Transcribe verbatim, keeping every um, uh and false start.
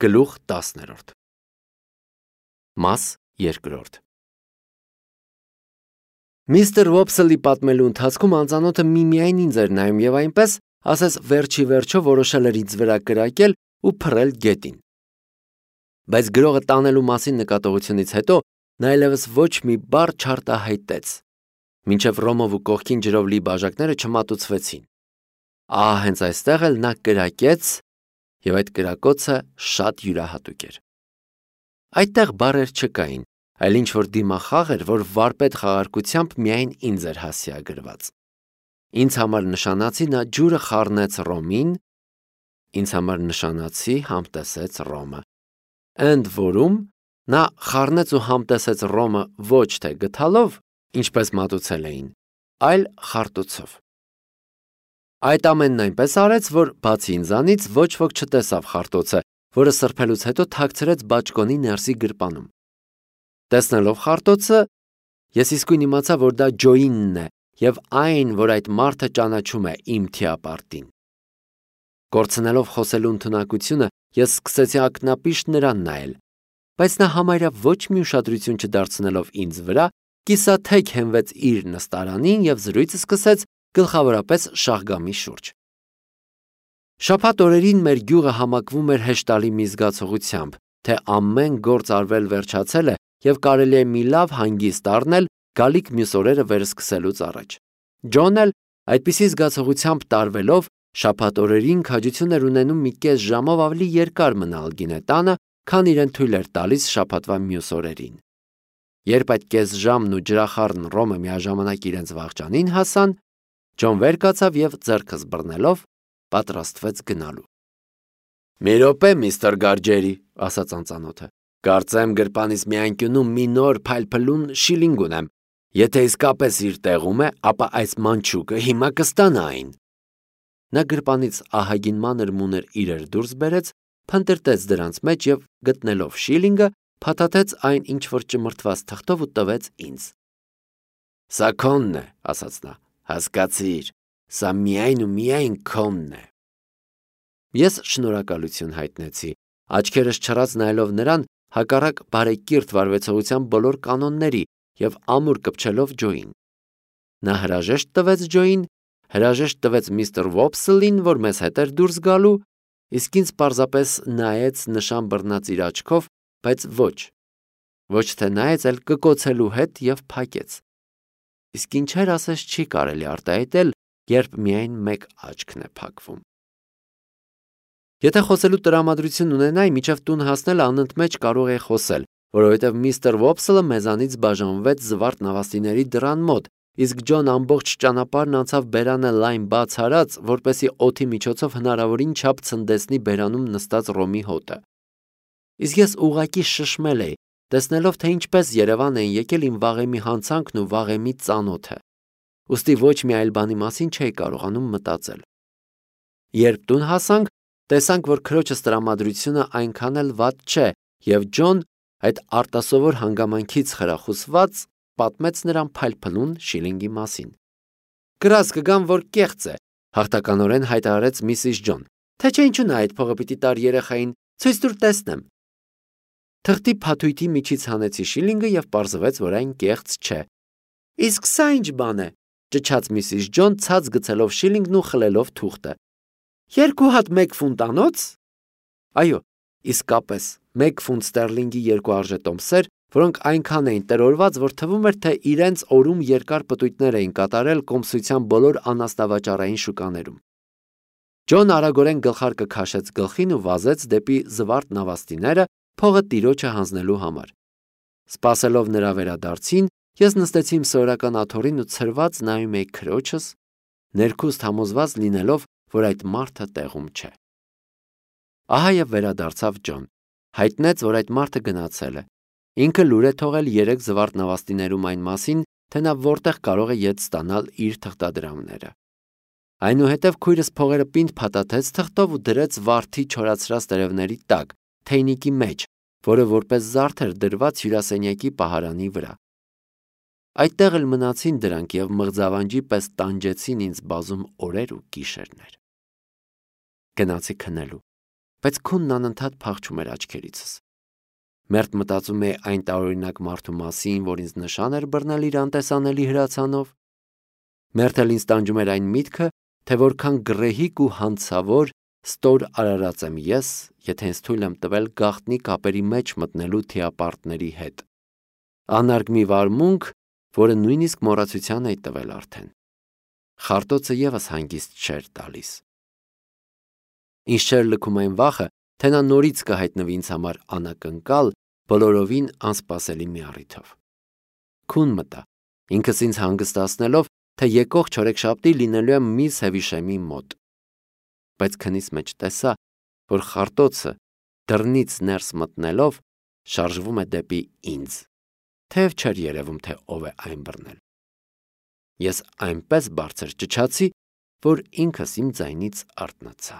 Գլուխ տասներորդ Մաս երկրորդ Միստր Վոփսլի պատմելու ընթացքում անծանոթը միմիայն ինձ էր նայում եւ այնպես, ասես վերջի վերջո որոշել էր ինձ վրա կրակել ու փռել գետին։ Բայց գրողը տանելու մասին նկատողությունից հետո նա այլևս ոչ մի բառ չարտահայտեց, մինչև Ռոմով ու կողքին ջրով լի բաժակները չմատուցվեցին։ Ահա հենց այստեղ էլ նա կրակեց, եւ այդ կրակոցը շատ յուրահատուկ էր։ Այդտեղ բառեր չկային, այլ ինչ որ դիմախաղ էր, որ վարպետ խաղարկությամբ միայն ինձ էր հասցեագրված։ Ինձ համար նշանացի նա ջուրը խառնեց Ռոմին, ինձ համար նշանացի համտեսեց Ռոմը։ Ընդ որում նա խառնեց ու համտեսեց Ռոմը ոչ թե գթալով, ինչպես մատուցել էին, այլ խարտոցով։ Այդ ամենն այնպես արեց, որ բացի ինձանից ոչ ոք չտեսավ խարտոցը, որը սրբելուց հետո թաքցրեց բաճկոնի ներսի գրպանում։ Տեսնելով խարտոցը, ես իսկույն իմացա, որ դա Ջոինն է եւ այն, որ այդ մարդը ճանաչում է իմ թիապարտին։ Կորցնելով խոսելու ընդունակությունը, ես սկսեցի ակնապիշտ նրան նայել, բայց նա համարյա ոչ մի ուշադրություն չդարձնելով ինձ վրա, կիսաթեք հենվեց իր նստարանին եւ զրույցը սկսեց գլխավորապես շահգամի շուրջ։ Շաբաթ օրերին մեր գյուղը համակվում էր հեշտալի մի զգացողությամբ, թե ամեն գործ արվել վերջացել է եւ կարելի է մի լավ հանգիստ առնել գալիք մյուս օրերը վերսկսելուց առաջ։ Ջոնն էլ այդպիսի զգացողությամբ տարվելով շաբաթ օրերին քաջություն էր ունենում մի կես ժամով ավելի երկար մնալ գինետանը, քան իրեն թույլ էր տալիս շաբաթվա մյուս օրերին։ Երբ այդ կես ժամն ու ջրախառն Ռոմը միաժամանակ իրենց վաղճանին հասան, Ջոն վեր կացավ եւ ձեռքս բռնելով պատրաստվեց գնալու։ «Մի րոպե, միստր Գարջերի», ասաց անծանոթը։ «Կարծեմ գրպանից մի անկյունում մի նոր փայլփլուն շիլինգ ունեմ։ Եթե իսկապես իր տեղում է, ապա այս մանչուկը հիմա կստանա այն»։ Նա գրպանից ահագին մանր մուներ իրեր դուրս բերեց, փնտրտեց դրանց մեջ եւ գտնելով շիլինգը, փաթաթեց այն ինչ որ ճմրթված թղթով ու տվեց ինձ։ «Սա քոնն է», ասաց նա։ Հասկացիր, սա միայն ու միայն քոնն է։ Ես շնորհակալություն հայտնեցի, աչքերս չռած նայելով նրան, հակառակ բարեկիրթ վարվեցողության բոլոր կանոնների եւ ամուր կպչելով Ջոին։ Նա հրաժեշտ տվեց Ջոին, հրաժեշտ տվեց միստր Վոփսլին, որ մեզ հետ էր դուրս գալու, իսկ ինձ պարզապես նայեց նշան բռնած իր աչքով, բայց ոչ։ Ոչ թե նայեց, այլ կկոցելու հետ եւ փակեց։ Իսկ ինչեր ասես չի կարելի արտահայտել, երբ միայն մեկ աչքն է փակվում։ Եթե խոսելու տրամադրություն ունենայի, միջև տուն հասնել անընդմեջ կարող էի խոսել, որովհետև միստր Վոփսլը մեզանից բաժանվեց զվարթ նավաստիների դռան մոտ, իսկ Ջոն ամբողջ ճանապարհն անցավ բերանը լայն բաց արած, որպեսզի օդի միջոցով հնարավորին չափ ցնդեցնի բերանում նստած Ռոմի հոտը։ Իսկ ես ուղղակի շշմել էի, տեսնելով, թե ինչպես Երևան են եկել իմ վաղեմի հանցանքն ու վաղեմի ծանոթը։ Ուստի ոչ մի այլ բանի մասին չէի կարողանում մտածել։ Երբ տուն հասանք, տեսանք, որ քրոջս տրամադրությունը այնքան էլ վատ չէ, եւ Ջոն, այդ արտասովոր հանգամանքից խրախուսված, պատմեց նրան փայլփլուն շիլինգի մասին։ Գրած կգամ, որ կեղծ է, հաղթականորեն հայտարարեց միսիս Ջոն, թե չէ ինչու նա այդ փողը պիտի տար երեխային, ցույց տուր տեսնեմ։ Թղթի փաթույթի միջից հանեցի շիլինգը եւ պարզվեց, որ այն կեղծ չէ։ Իսկ սա ինչ բան է, ճչաց միսիս Ջոն, ցած գցելով շիլինգն ու խլելով թուղթը։ Երկու հատ մեկ ֆունտանոց։ Այո, իսկապես, մեկ ֆունտ ստերլինգի երկու արժետոմսեր, որոնք այնքան էին տրորված, որ թվում էր, թե իրենց օրում երկար պտույտներ էին կատարել կոմսության բոլոր անասնավաճառային շուկաներում։ Ջոն արագորեն գլխարկը քաշեց գլխին ու վազեց դեպի զվարթ նավաստիները, փողը տիրոջը հանձնելու համար։ Սպասելով նրա վերադարձին, ես նստեցի իմ սովորական աթոռին ու ցրված նայում էի քրոջս, ներքուստ համոզված լինելով, որ այդ մարդը տեղում չէ։ Ահա եւ վերադարձավ Ջոն, հայտնեց, որ այդ մարդը գնացել է։ Ինքը լուր է թողել երեք զվարթ նավաստիներում այն մասին, թե նա որտեղ կարող է ետ ստանալ իր թղթադրամները։ Այնուհետև քույրս փողերը պինդ փաթաթեց թղթով ու դրեց վարդի չորացրած տերևների տակ, թեյնիկի մեջ, որը որպես զարդ էր դրված հյուրասենյակի պահարանի վրա։ Այդտեղ էլ մնացին դրանք եւ մղձավանջի պես տանջեցին ինձ բազում օրեր ու գիշերներ։ Գնացի քնելու, բայց քունն անընդհատ փախչում էր աչքերիցս։ Մերթ մտածում է այն տարօրինակ մարդու մասին, որ ինձ նշան էր բռնել իր անտեսանելի հրացանով։ Մերթ էլ ինձ տանջում էր այն միտքը, թե որքան գռեհիկ ու հանցավոր ստոր արարած եմ ես, եթե ինձ թույլ եմ տվել գաղտնի կապերի մեջ մտնելու թիապարտների հետ։ Անարգ մի վարմունք, որը նույնիսկ մոռացության էի տվել արդեն։ Խարտոցը ևս հանգիստ չէր տալիս։ Ինչ չէր լքում այն վախը, թե նա նորից կհայտնվի ինձ համար անակնկալ, բոլորովին անսպասելի մի առիթով։ Քուն մտա, ինքս ինձ հանգստացնելով, թե եկող չորեքշաբթի լինելու եմ միս Հևիշեմի մոտ։ Բայց քնիս մեջ տեսա, որ խարտոցը դռնից ներս մտնելով շարժվում է դեպի ինձ, թեև չէր երևում, թե ով է այն բռնել։ Ես այնպես բարձր ճչացի, որ ինքս իմ ձայնից արթնացա։